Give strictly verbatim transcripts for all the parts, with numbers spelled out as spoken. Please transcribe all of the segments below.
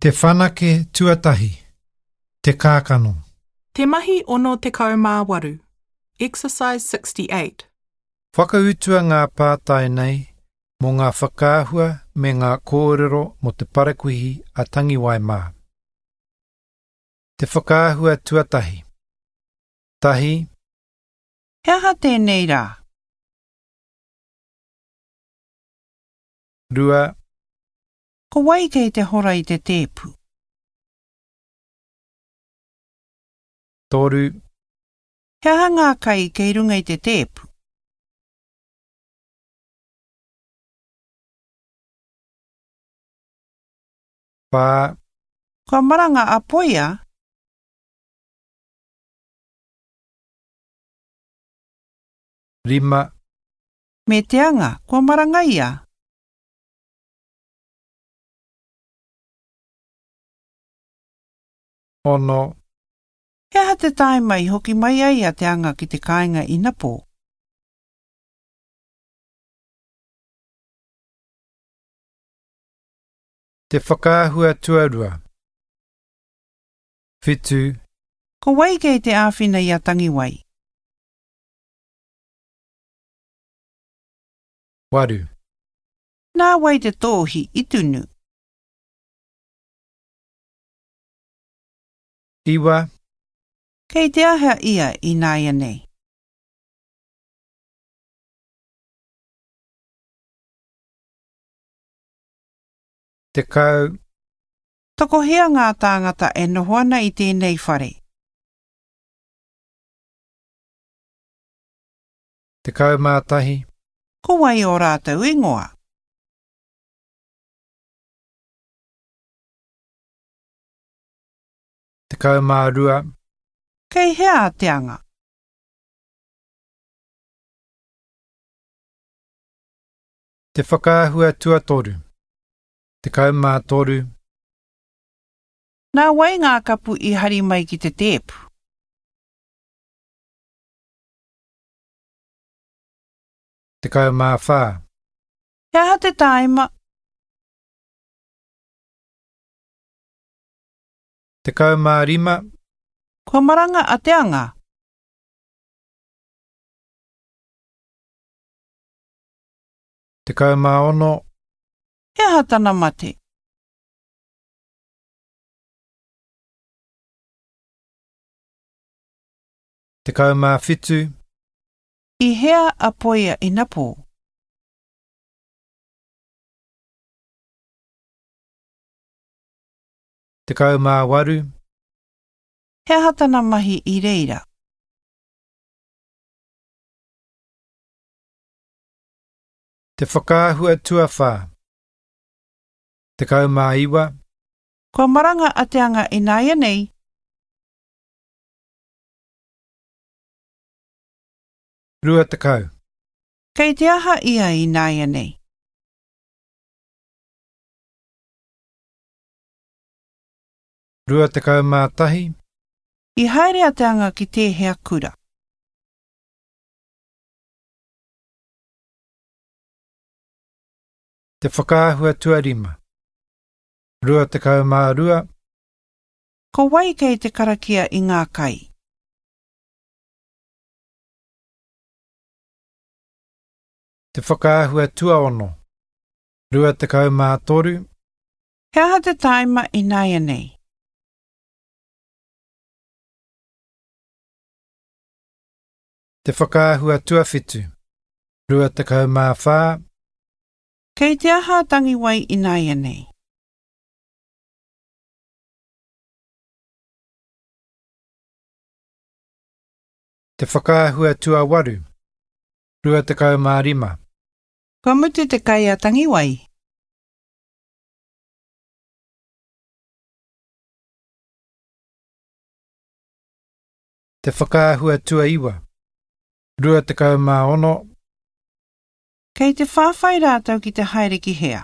Te whanake tuatahi, te kākano. Te mahi ono tekau mā waru. Exercise sixty-eight. Whakautua ngā pātai nei mō ngā whakaahua me ngā kōrero mō te parakuihi a Tangiwai mā. Te whakaahua tuatahi. Tahi. He aha tēnei rā? Rua. Ko wai kei te hora i te tēpu? Toru. He aha ngā kai kei runga i te tēpu? Whā. Kua maranga a Poia? Rima. Me te anga, kua maranga ia? Ono. He aha te tāima i hoki mai ai a te anga ki te kāinga inapō? Te whakaahua tuarua. Whitu. Ko wai kei te āwhina i a Tangiwai? Waru. Nā wai te tōhi i tunu? Iwa. Kei te aha ia i nāianei? Tekau. Tokohea ngā tāngata e noho ana i tēnei whare? Tekau mā tahi. Ko wai o rātou ingoa? Tekau mā rua. Kei hea a te anga? Te whakaahua tuatoru. Tekau mā toru. Nā wai ngā kapu i hari mai ki te tēpu? Tekau mā whā. He aha te tāima? Tekau mā rima. Kua maranga a te anga? Tekau mā ono. He aha tana mate? Tekau mā whitu. I hea a Poia inapō? Tekau mā waru. He aha tana mahi i reira? Te whakaahua tuawhā. Tekau mā iwa. Kua maranga a te anga ināianei? Rua tekau. Kei te aha ia ināianei? Rua tekau mā tahi. I haere a te anga ki tēhea kura? Te whakaahua tuarima. Rua tekau mā rua. Ko wai kei te karakia i ngā kai? Te whakaahua tuaono. Rua tekau mā toru. He aha te tāima ināianei? Te whakaahua tuawhitu. Rua tekau mā whā. Kei te aha a Tangiwai ināianei? Te whakaahua tuawaru. Rua tekau mā rima. Kua mutu te kai a Tangiwai? Te whakaahua tuaiwa. Rua tekau mā ono. Kei te whāwhai rātou ki te haere ki hea?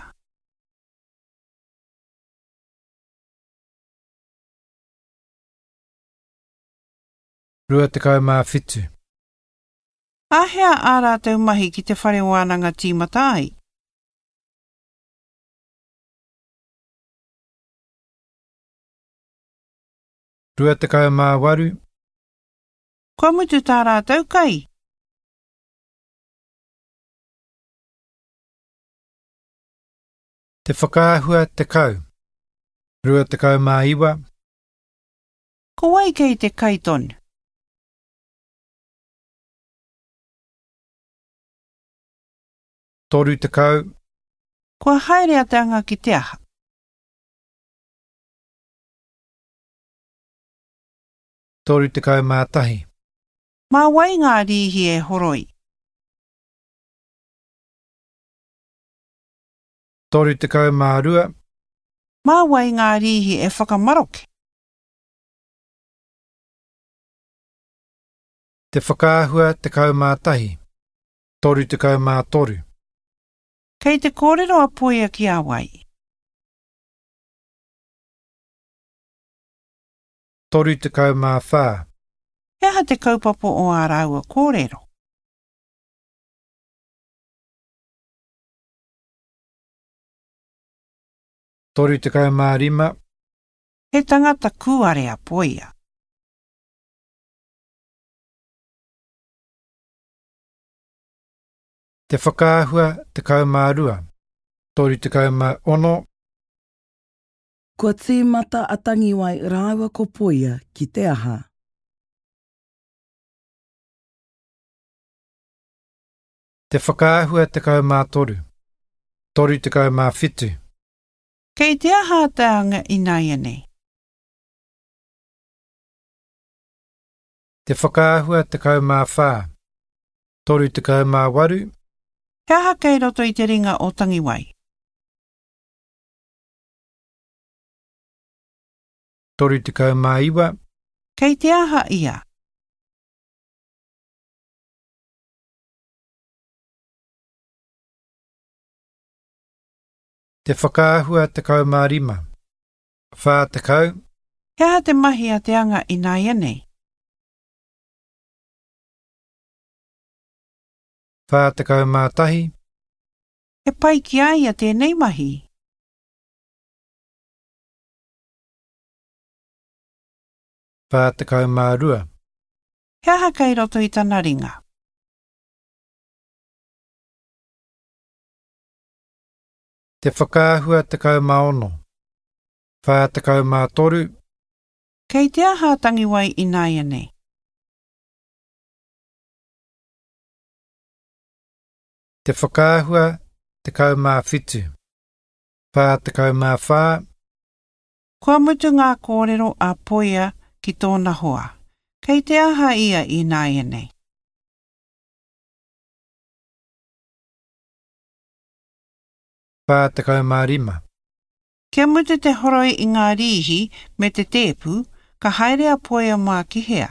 Rua tekau mā whitu. Āhea ā rātou mahi ki te whare wānanga tīmata ai? Rua tekau mā waru. Kua mutu tā rātou kai? Te whakaahua tekau. Rua tekau mā iwa. Ko wai kei te kai tonu? Toru tekau. Kua haere a Te Anga ki te aha? Toru tekau mā tahi. Mā wai ngā rīhi e horoi? Toru tekau mā rua. Mā wai ngā rīhi e whakamaroke? Te whakaahua tekau mā tahi. Toru tekau mā toru. Kei te kōrero a Poia ki a wai? Toru tekau mā whā. He aha te kaupapa o ā rāua kōrero? Toru tekau mā rima. He tangata kūare a Poia. Te whakaahua tekau mā rua. Toru tekau mā ono. Kua tīmata a Tangiwai rāua ko Poia ki te aha? Te whakaahua tekau mā toru. Toru tekau mā whitu. Kei te aha a Te Anga ināianei? Te whakaahua tekau mā whā. Toru tekau mā waru. He aha kei roto i te ringa o Tangiwai? Toru tekau mā iwa. Kei te aha ia? Te whakaahua tekau mā rima. Whā tekau. He aha te mahi a Te Anga ināianei? Whā tekau mā tahi. He pai ki a ia tēnei mahi? Whā tekau mā rua. He aha kei roto i tana ringa? Te whakaahua tekau mā ono. Whā tekau mā toru. Kei te aha a Tangiwai ināianei? Te whakaahua tekau mā whitu. Whā tekau mā whā. Kua mutu ngā kōrero a Poia ki tōna hoa. Kei te aha ia ināianei? Whā tekau mā rima. Kia mutu te horoi i ngā rīhi me te tēpu, ka haere a Poia mā ki hea?